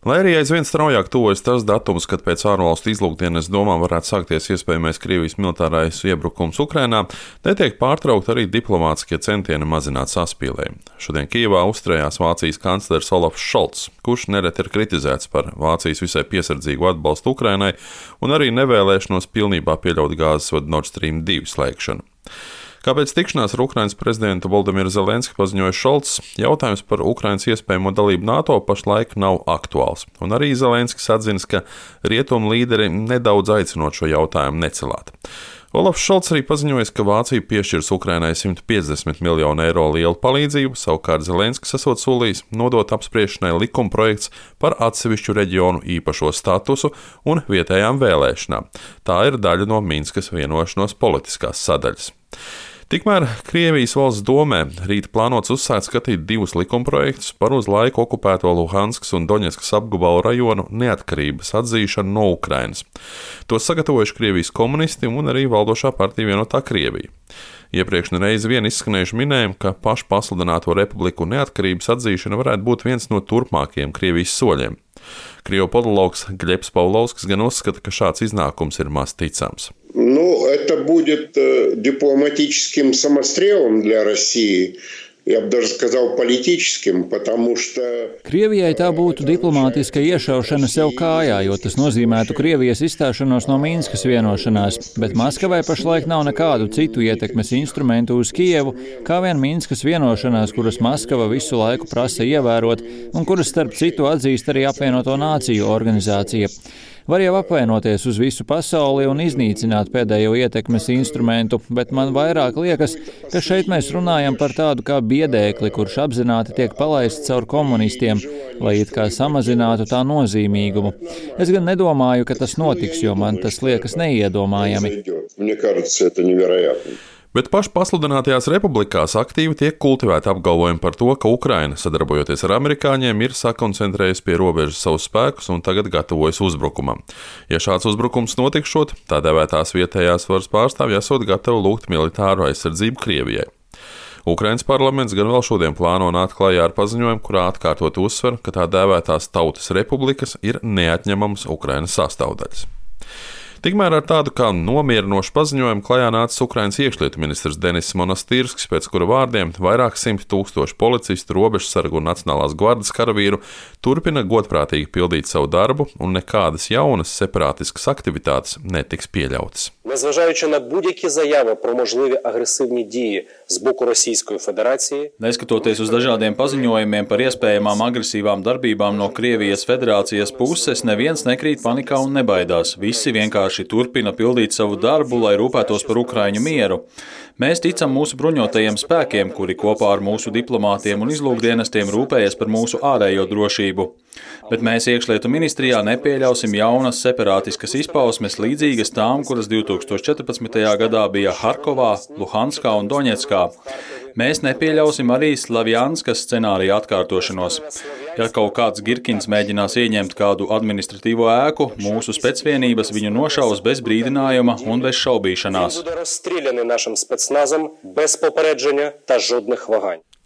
Lai arī aizvien straujāk tuvojas tas datums, kad pēc ārvalstu izlūkdienas domām varētu sākties iespējamais Krievijas militārais iebrukums Ukrainā, netiek pārtraukt arī diplomātiskie centieni mazināt saspīlējumu. Šodien Kijevā uzturējās Vācijas kanclers Olafs Šolts, kurš nereti ir kritizēts par Vācijas visai piesardzīgu atbalstu Ukrainai un arī nevēlēšanos pilnībā pieļaut gāzes vadu Nord Stream 2 slēgšanu. Kāpēc tikšanās ar Ukrainas prezidentu Volodimiru Zelenski paziņoja Šolts, jautājums par Ukrainas iespējamo dalību NATO pašlaik nav aktuāls, un arī Zelenskis atzīst, ka rietumu līderi nedaudz aicinot šo jautājumu necelāt. Olafs Šolts arī paziņoja, ka Vācija piešķirs Ukrainai 150 miljonu eiro lielu palīdzību, savukārt Zelenskis esot solījis nodot apspriešanai likumprojekts par atsevišķu reģionu īpašo statusu un vietējām vēlēšanām. Tā ir daļa no Minskas vienošanos politiskās sadaļas. Tikmēr Krievijas valsts domē rīt plānots uzsākt skatīt divus likumprojektus par uz laiku okupēto Luhanskas un Doņetskas apgabalu rajonu neatkarības atzīšanu no Ukrainas. Tos sagatavojuši Krievijas komunisti un arī valdošā partija Vienotā Krievija. Iepriekš nereiz vien izskanējuši minējumi, ka pašu pasludināto republiku neatkarības atzīšana varētu būt viens no turpmākajiem Krievijas soļiem. Krievu politologs Gļebs Pavlovskis gan uzskata, ka šāds iznākums ir maz ticams. Это будет дипломатическим самострелом для России. Я бы даже сказал политическим, потому что... Krievijai tā būtu diplomātiska iešaušana sev kājā, jo tas nozīmētu Krievijas izstāšanos no Minskas vienošanās, bet Maskavai pašlaik nav nekādu citu ietekmes instrumentu uz Kijevu, kā vien Minskas vienošanās, kuras Maskava visu laiku prasa ievērot un kuras starp citu atzīst arī Apvienoto Nāciju organizācija. Var jau apvainoties uz visu pasauli un iznīcināt pēdējo ietekmes instrumentu, bet man vairāk liekas, ka šeit mēs runājam par tādu kā biedēkli, kurš apzināti tiek palaists caur komunistiem, lai it kā samazinātu tā nozīmīgumu. Es gan nedomāju, ka tas notiks, jo man tas liekas neiedomājami. Bet pašu pasludinātajās republikās aktīvi tiek kultivēti apgalvojumi par to, ka Ukraina, sadarbojoties ar amerikāņiem, ir sakoncentrējusi pie robežas savus spēkus un tagad gatavojas uzbrukumam. Ja šāds uzbrukums notikšot, tā dēvētās vietējās varas pārstāvji esot gatavi lūgt militāru aizsardzību Krievijai. Ukrainas parlaments gan vēl šodien plāno nākt klajā ar paziņojumu, kurā atkārtot uzsver, ka tā dēvētās tautas republikas ir neatņemamas Ukrainas sastāvdaļas. Tikmēr ar tādu kā nomierinošu paziņojumu klajā nācis Ukrainas iekšlietu ministrs Denis Monastirskis, pēc kura vārdiem vairāk 100 000 policistu, robežsargu un Nacionālās gvardas karavīru turpina godprātīgi pildīt savu darbu un nekādas jaunas separātiskas aktivitātes netiks pieļautas. Незважаючи на будь-які заяви про можливі агресивні дії з боку Російської Федерації, neskatoties uz dažādiem paziņojumiem par iespējamām agresīvām darbībām no Krievijas Federācijas puses, neviens nekrīt panikā un nebaidās. Visi vienkārši turpina pildīt savu darbu, lai rūpētos par Ukraiņu mieru. Mēs ticam mūsu bruņotajiem spēkiem, kuri kopā ar mūsu diplomātiem un izlūkdienestiem rūpējas par mūsu ārējo drošību. Bet mēs iekšlietu ministrijā nepieļausim jaunas separātiskas izpausmes līdzīgas tām, kuras 2014. gadā bija Harkovā, Luhanskā un Doņetskā. Mēs nepieļausim arī Slavjanskas scenārija atkārtošanos. Ja kaut kāds Girkins mēģinās ieņemt kādu administratīvo ēku, mūsu specvienības viņu nošaus bez brīdinājuma un bez šaubīšanās.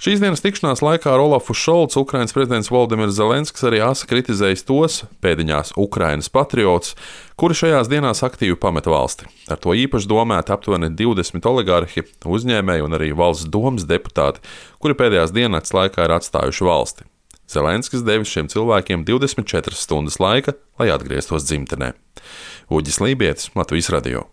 Šīs dienas tikšanās laikā ar Olafu Šolcu Ukrainas prezidents Volodimirs Zelenskis arī asa kritizējis tos, pēdiņās Ukrainas patriotus, kuri šajās dienās aktīvi pameta valsti. Ar to īpaši domāti aptuveni 20 oligarhi, uzņēmēji un arī valsts domas deputāti, kuri pēdējās dienas laikā ir atstājuši valsti. Zelenskis devis šiem cilvēkiem 24 stundas laika, lai atgrieztos dzimtenē. Uģis Lībietis, Latvijas radio.